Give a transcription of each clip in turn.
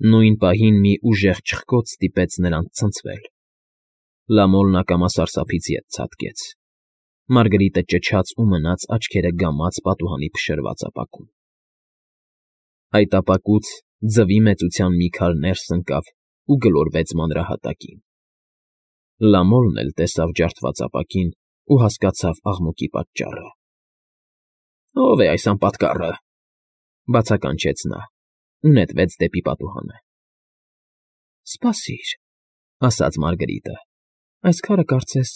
Նույն պահին մի ուժեղ չխկոց ստիպեց նրանց ցնցվել։ Լամոլն ակամա սարսափից ետ ցատկեց։ Մարգարիտը ճչաց ու մնաց աչքերը գամած պատուհանի փշրված ապակում։ Այդ ապակուց ձվի մեծության մի քար ներս ընկավ ու գլորվեց մանրահատակին։ Լամոլն էլ տեսավ ջարդված ապակին ու հասկացավ աղմուկի պատճառը։ «Ո՞վ է այս անպատկառը», բացականչեց նա ու նետվեց դեպի պատուհանը։ «Սպասիր», ասաց Մարգարիտը, «այս քարը կարծես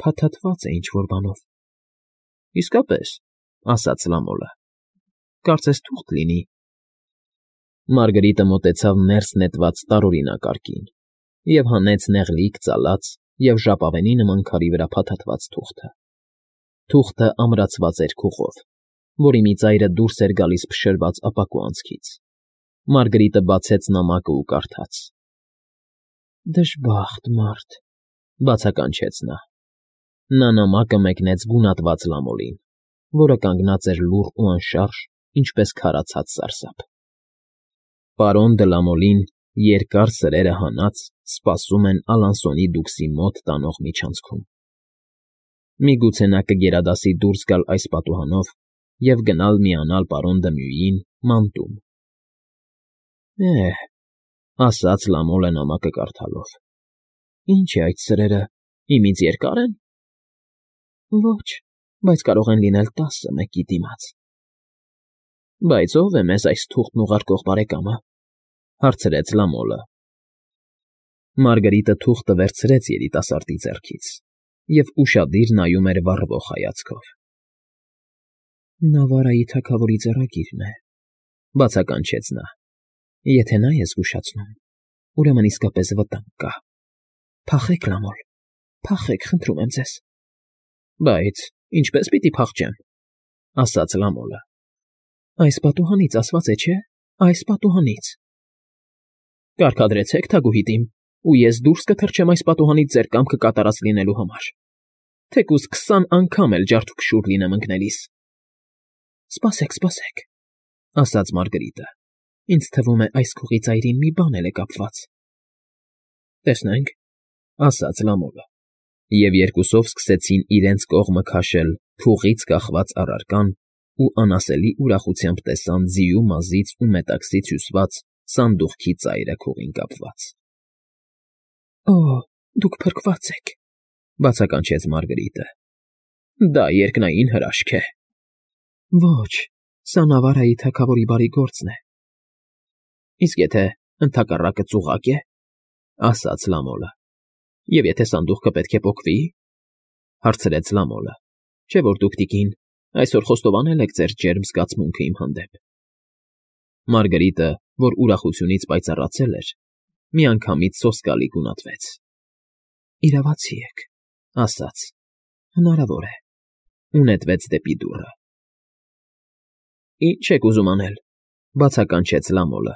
փաթաթված է ինչ֊որ բանով»։ «Իսկապես», ասաց Լամոլը, «կարծես թուղթ լինի»։ Մարգարիտը մոտեցավ ներս նետված տարօրինակ արկին և հանեց նեղլիկ ծալած և ժապավենի նման քարի վրա փաթաթված թուղթը։ Թուղթը ամրացված էր քուղով, որի մի ծայրը դուրս էր գալիս փշրված ապակու անցքից։ Մարգարիտը բացեց նամակը ու կարդաց. «Դժբախտ մարդ», բացականչեց նա։ Նա նամակը մեկնեց գունատված Լամոլին, որը կանգնած էր լուռ ու անշարժ, ինչպես քարացած սարսափ։ Պարոն դը Լամոլին երկար սրերը հանած սպասում են Ալանսոնի դուքսի մոտ տանող միջանցքում։ Միգուցե նա կգերադասի դուրս գալ այս պատուհանով և գնալ միանալ պարոն Դմյուին մանտում։ «Էհ», ասաց Լամոլը նամակը կարդալով, «ինչ է այդ սրերը, իմից երկա՞ր են»։ «Ոչ, բայց կարող են լինել 10 մեկի դիմաց»։ «Բայց ո՞վ է մեզ այս թուղթն ուղարկող բարեկամը», հարցրեց Լամոլը։ Մարգարիտը թուղթը վերցրեց երիտասարդի ձեռքից և ուշադիր նայում էր վառվող հայացքով։ «Նավարայի թագավորի ձեռագիրն է», բացականչեց նա։ «Եթե նա է զգուշացնում, ուրեմն իսկապես վտանգ կա։ Փախեք, Լամոլ, փախեք, խնդրում եմ ձեզ»։ «Բայց ինչպե՞ս պիտի փախչեմ», ասաց Լամոլը։ «Այս պատուհանից, ասված է, չէ՞, այս պատուհանից»։ «Կարգադրեցեք, թագուհիդ իմ, ու ես դուրս կթռչեմ այս պատուհանից ձեր կամքը կատարած լինելու համար, թեկուզ 20 անգամ էլ ջարդուփշուր լինեմ ընկնելիս»։ «Սպասեք, սպասեք», ասաց Մարգարիտը, «ինձ թվում է այս քողի ծայրին մի բան էլ է կապված»։ «Տեսնենք», ասաց Լամոլը, և երկուսով սկսեցին իրենց կողմը քաշել փուղից կախված առարկան ու անասելի ուրախությամբ տեսան ձիու մազից ու մետաքսից հյուսված սանդուղքի ծայրը քողին կապված։ «Օ, դուք փրկված եք», բացականչեց Մարգարիտը։ «Դա երկնային հրաշք է»։ «Ոչ, սա Նավարայի թագավորի բարի գործն է»։ «Իսկ եթե ընդհակառակը ծուղակ է», ասաց Լամոլը, «և եթե սանդուղքը պետք է պոկվի»։ Հարցրեց Լամոլը, «Չէ՞ որ դուք, տիկին, այսօր խոստովանել եք ձեր ջերմ զգացմունքը իմ հանդեպ»։ Մարգարիտը, որ ուրախությունից պայծառացել էր, միանգամից սոսկալի գունատվեց։ «Իրավացի եք», ասաց, «հնարավոր է», ու նետվեց դեպի դուռը։ «Ինչ եք ուզում անել», բացականչեց Լամոլը։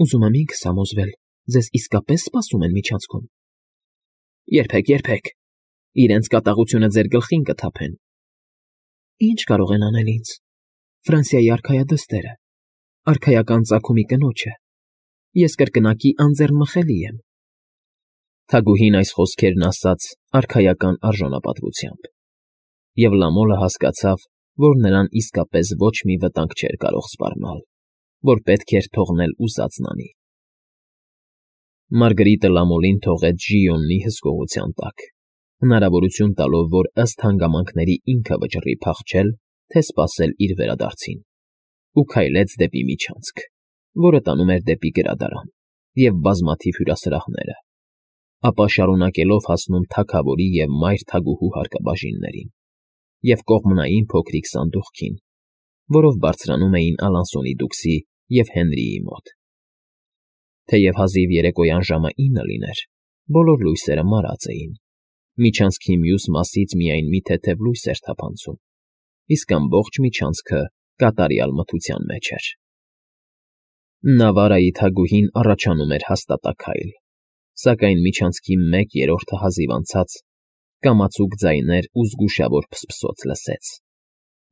«Ուզում եմ ինքս համոզվել, ձեզ իսկապես սպասում են միջանցքում»։ «Երբեք, երբեք, իրենց կատաղությունը ձեր գլխին կթափեն»։ «Ինչ կարող են անել ինձ, Ֆրանսիայի արքայադստերը, արքայական ծագումի կնոջը։ Ես կրկնակի անձեռնմխելի եմ»։ Թագուհին այս խոսքերն ասաց արքայական արժանապատվությամբ, և Լամոլը հասկացավ, որ նրան իսկապես ոչ մի վտանգ չէր կարող սպառնալ, որ պետք էր թողնել ուզածն անի։ Մարգարիտը Լամոլին թողեց Ժիոնի հսկողության տակ, հնարավորություն տալով, որ ըստ հանգամանքների ինքը վճռի փախչել, թե սպասել իր վերադարձին, ու քայլեց դեպի միջանցք, որը տանում էր դեպի գրադարան և բազմաթիվ հյուրասրահները, ապա շարունակելով հասնում թագավորի և մայր թագուհու հարկաբաժիններին և կողմնային փոքրիկ սանդուղքին, որով բարձրանում էին Ալանսոնի դուքսի և Հենրիի մոտ։ Թեև հազիվ երեկոյան ժամը 9 լիներ, բոլոր լույսերը մարած էին, միջանցքի մյուս մասից միայն մի թեթև լույս էր թափանցում, իսկ ամբողջ միջանցքը կատարյալ մթության մեջ էր։ Նավարայի թագուհին առաջանում էր հաստատաքայլ, սակայն միջանցքի 1/3-ը հազիվ անցած կամացուկ ձայներ ու զգուշավոր փսփսոց լսեց,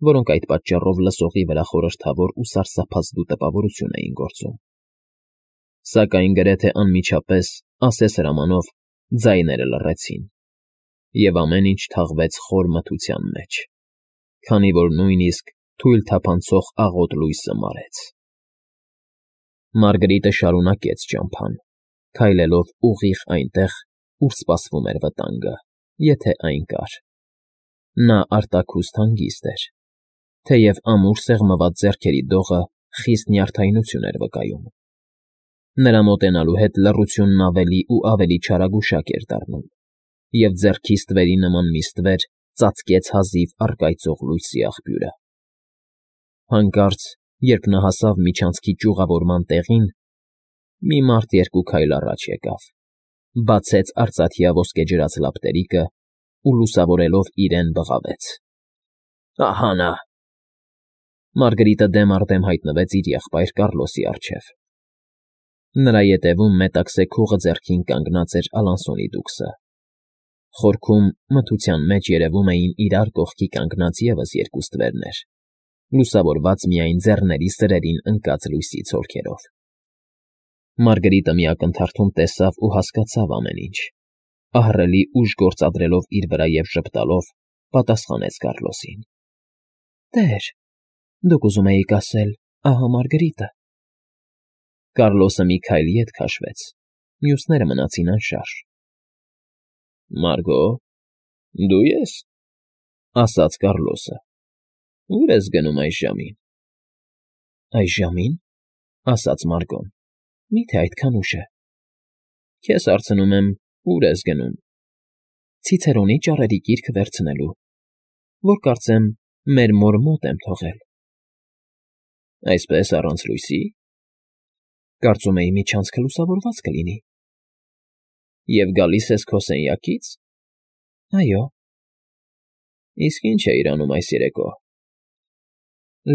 որոնք այդ պատճառով լսողի վրա խորհրդավոր ու սարսափազդու տպավորություն էին գործում։ Սակայն գրեթե անմիջապես ասես հրամանով ձայները լռեցին, և ամեն ինչ թաղվեց խոր մթության մեջ, քանի որ նույնիսկ թույլ թափանցող աղոտ լույսը մարեց։ Մարգարիտը շարունակեց ճամփան, քայլելով ուղիղ այնտեղ, ուր սպասվում էր վտանգը, եթե այն կար։ Նա արտաքուստ հանգիստ էր, թեև ամուր սեղմված ձեռքերի դողը խիստ նյարդայնություն էր վկայում։ Նրա մոտենալու հետ լռությունն ավելի ու ավելի չարագուշակ էր դառնում, և ձեռքի ստվերի նման մի ստվեր ծածկեց հազիվ առկայծող լույսի աղբյուրը։ Հանկարծ, երբ նա հասավ միջանցքի ճյուղավորման տեղին, մի մարդ երկու քայլ առաջ եկավ, բացեց արծաթյա ոսկեջրած լապտերիկը ու լուսավորելով իրեն բղավեց. «Ահա նա»։ Մարգարիտը դեմ առ դեմ հայտնվեց իր եղբայր Կառլոսի առջև։ Նրա ետևում մետաքսե քուղը ձեռքին կանգնած էր Ալանսոնի դուքսը։ Խորքում մթության մեջ երևում էին իրար կողքի կանգնած ևս երկու ստվերներ, լուսավորված միայն ձեռների սրերին ընկած լույսի ցոլքերով։ Մարգարիտը մի ակնթարթում տեսավ ու հասկացավ ամեն ինչ, ահռելի ուժ գործադրելով իր վրա և ժպտալով պատասխանեց Կառլոսին. «Տեր, դուք ուզում էիք ասել ահա Մարգարիտը»։ Կառլոսը մի քայլ ետ քաշվեց, մյուսները մնացին անշարժ։ «Մարգո, դու ես», ասաց Կառլոսը։ «Ո՞ւր ես գնում այս ժամին»։ «Այս ժամին», ասաց Մարգոն, «մի՞թե այդքան ուշ է»։ «Քեզ հարցնում եմ, ո՞ւր ես գնում»։ «Ցիցերոնի ճառերի գիրքը վերցնելու, որ կարծեմ մեր մոր մոտ եմ թողել»։ «Այսպես առանց լույսի»։ «Կարծում էի միջանցքը լուսավորված կլինի»։ «Եվ գալիս ես քո սենյակից»։ «Այո»։ «Իսկ ի՞նչ էիր անում այս երեկո»։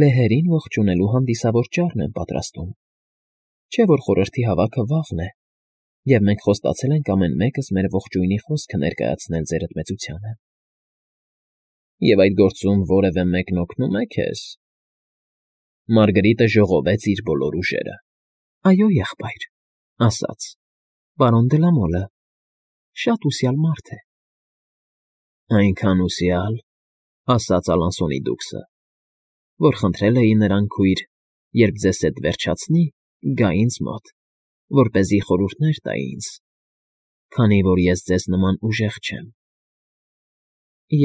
«Լեհերին ողջունելու հանդիսավոր ճառն եմ պատրաստում, չէ՞ որ խորհրդի հավաքը վաղն է, և մենք խոստացել ենք ամեն մեկս մեր ողջույնի խոսքը ներկայացնել ձեր ընդմեծությանը»։ «Եվ այդ գործում որևէ մեկն օգնո՞ւմ է քեզ»։ Մարգարիտը ժողովեց իր բոլոր ուժերը։ «Այո, եղբայր», ասաց, «պարոն դե Լա Մոլը շատ ուսյալ մարդ է»։ «Այնքան ուսյալ», ասաց Ալանսոնի դուքսը, «որ խնդրել էի նրան քույր, երբ ձեզ հետ վերջացնի, գա ինձ մոտ, որպեսզի խորհուրդներ տա ինձ, քանի որ ես ձեզ նման ուժեղ չեմ»։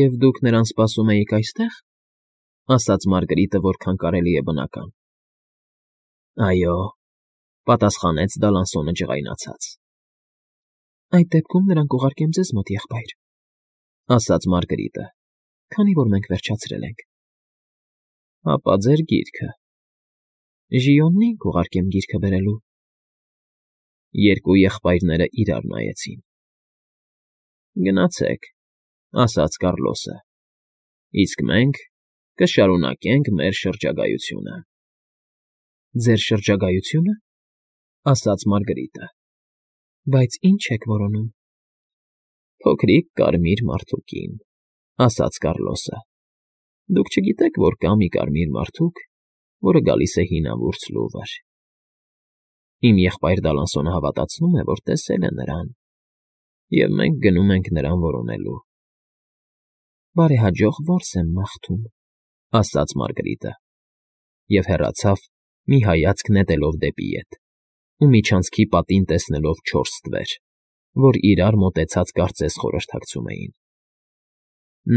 «Եվ դուք նրան սպասում էիք այստեղ», ասաց Մարգարիտը որքան կարելի է բնական։ «Այո», պատասխանեց Դալանսոնը ջղայնացած։ «Այդ դեպքում նրան կուղարկեմ ձեզ մոտ, եղբայր», ասաց Մարգարիտը, «քանի որ մենք վերջացրել ենք»։ «Հապա ձեր գիրքը»։ «Ժիոնին կուղարկեմ գիրքը բերելու»։ Երկու եղբայրները իրար նայեցին։ «Գնացեք», ասաց Կառլոսը, «իսկ մենք կշարունակենք մեր շրջագայությունը»։ «Ձեր շրջագայությո՞ւնը», ասաց Մարգարիտը։ «Բայց ի՞նչ եք որոնում»։ «Փոքրիկ կարմիր մարդուկին», ասաց Կառլոսը։ «Դուք չգիտեք, որ կա մի կարմիր մարդուկ, որը գալիս է հինավուրց լուվր։ Իմ եղբայր Դալանսոնը հավատացնում է, որ տեսել է նրան, և մենք գնում ենք նրան որոնելու»։ «Բարեհաջող որս եմ մաղթում», ասաց Մարգարիտը, և հեռացավ, մի հայացք նետելով դեպի ետ, ու միջանցքի պատին տեսնելով չորս ստվեր, որ իրար մոտեցած կարծես խորհրդակցում էին։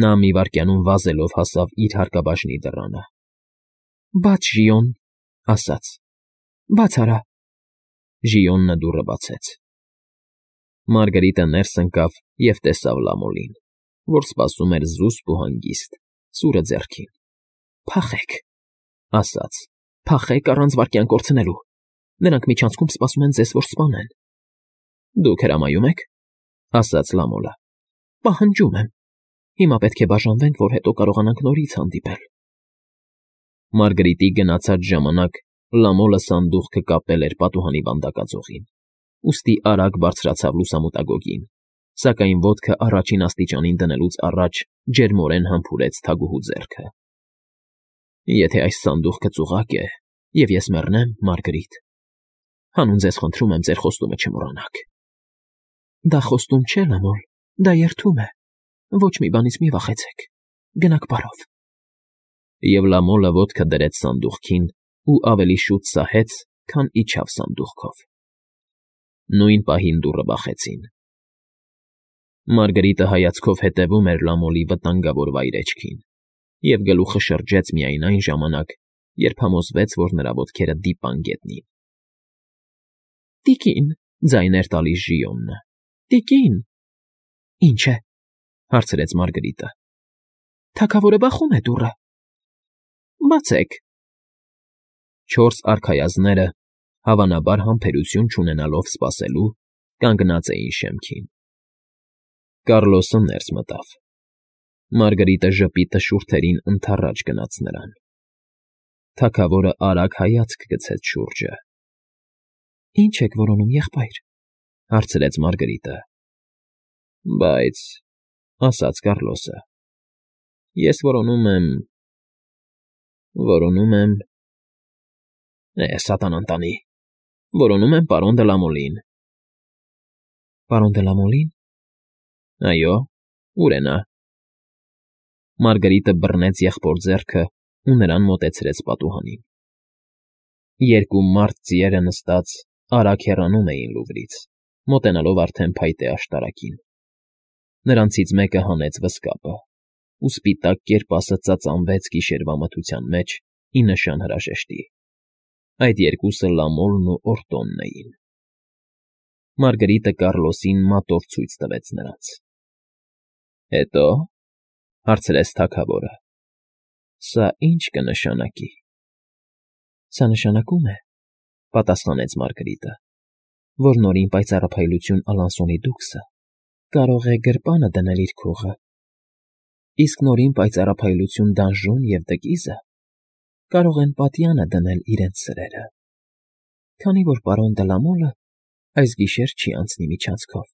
Նա մի վայրկյանում վազելով հասավ իր հարկաբաժնի դռանը։ «Բաց, Ժիոն», ասաց, «բաց արա»։ Ժիոնը դուռը բացեց։ Մարգարիտը ներս ընկավ և տեսավ Լա Մոլին, որ սպասում էր զուսպ ու հանգիստ, սուրը ձեռքին։ «Փախեք», ասաց, «փախեք առանց վայրկյան կորցնելու։ Նրանք միջանցքում սպասում են ձեզ, որ սպանեն»։ «Դուք հրամայում եք», ասաց Լա Մոլը։ «Պահանջում եմ։ Հիմա պետք է բաժանվենք, որ հետո կարողանանք նորից հանդիպել»։ Մարգարիտի գնացած ժամանակ Լա Մոլը սանդուղքը կապել էր պատուհանի վանդակաձողին, ուստի արագ բարձրացավ լուսամուտագոգին, սակայն ոտքը առաջին աստիճանին դնելուց առաջ ջերմորեն համբուրեց թագուհու ձեռքը։ «Եթե այս սանդուղքը ծուղակ է, և ես մեռնեմ, Մարգարիտ, Հանուն ձեզ խնդրում եմ ձեր խոստումը չմոռանաք։ Դա խոստում չէ, Լամոլ, դա երդում է։ Ոչ մի բանից մի վախեցեք։ Գնաք բարով։ Եվ Լամոլը ոտքը դրեց սանդուղքին ու ավելի շուտ սահեց, քան իջավ սանդուղքով։ Նույն պահին դուռը բախեցին։ Մարգարիտը հայացքով հետևում էր Լամոլի վտանգավոր վայրէջքին և գլուխը շրջեց միայն այն ժամանակ, երբ համոզվեց, որ նրա ոտքերը դիպան գետնին։ Տիկին, ձայներ տալիս Ժիոնը։ Տիկին։ Ինչ է, հարցրեց Մարգարիտը։ Թագավորը բախում է դուռը։ Բացեք։ Չորս արքայազները, հավանաբար համբերություն չունենալով սպասելու, կանգնած էին շեմքին։ Կառլոսը ներս մտավ։ Մարգարիտը ժպիտը շուրթերին ընդառաջ գնաց նրան։ Թագավորը արագ հայացք գցեց շուրջը։ Ինչ եք որոնում, եղբայր, հարցրեց Մարգարիտը։ Բայց, ասաց Կառլոսը, ես որոնում եմ, սատանան տանի, որոնում եմ պարոն դը Լամոլին։ Պարոն դը Լամոլին։ Այո, ուր է նա։ Մարգարիտը բռնեց եղբոր ձեռքը ու նրան մոտեցրեց պատուհանին։ Երկու մարդ ձիերը նստած արագ հեռանում էին Լուվրից, մոտենալով արդեն փայտե աշտարակին։ Նրանցից մեկը հանեց վզկապը, ու սպիտակ կերպասը ծածանվեց գիշերվա մթության մեջ ի նշան հրաժեշտի։ Այդ երկուսը Լամոլն ու Օրտոնն էին։ Մարգարիտը Կառլոսին մատով ցույց տվեց նրանց։ Հետո, հարցրեց թագավորը. Սա ի՞նչ կնշանակի։ Սա նշանակում է, պատասխանեց Մարգարիտը, որ նորին պայծառափայլություն Ալանսոնի դուքսը կարող է գրպանը դնել իր քողը, իսկ նորին պայծառափայլություն Դանժոն և Դգիզը կարող են պատյանը դնել իրենց սրերը, քանի որ պարոն Դը Լամոլը այս գիշեր չի անցնի միջանցքով։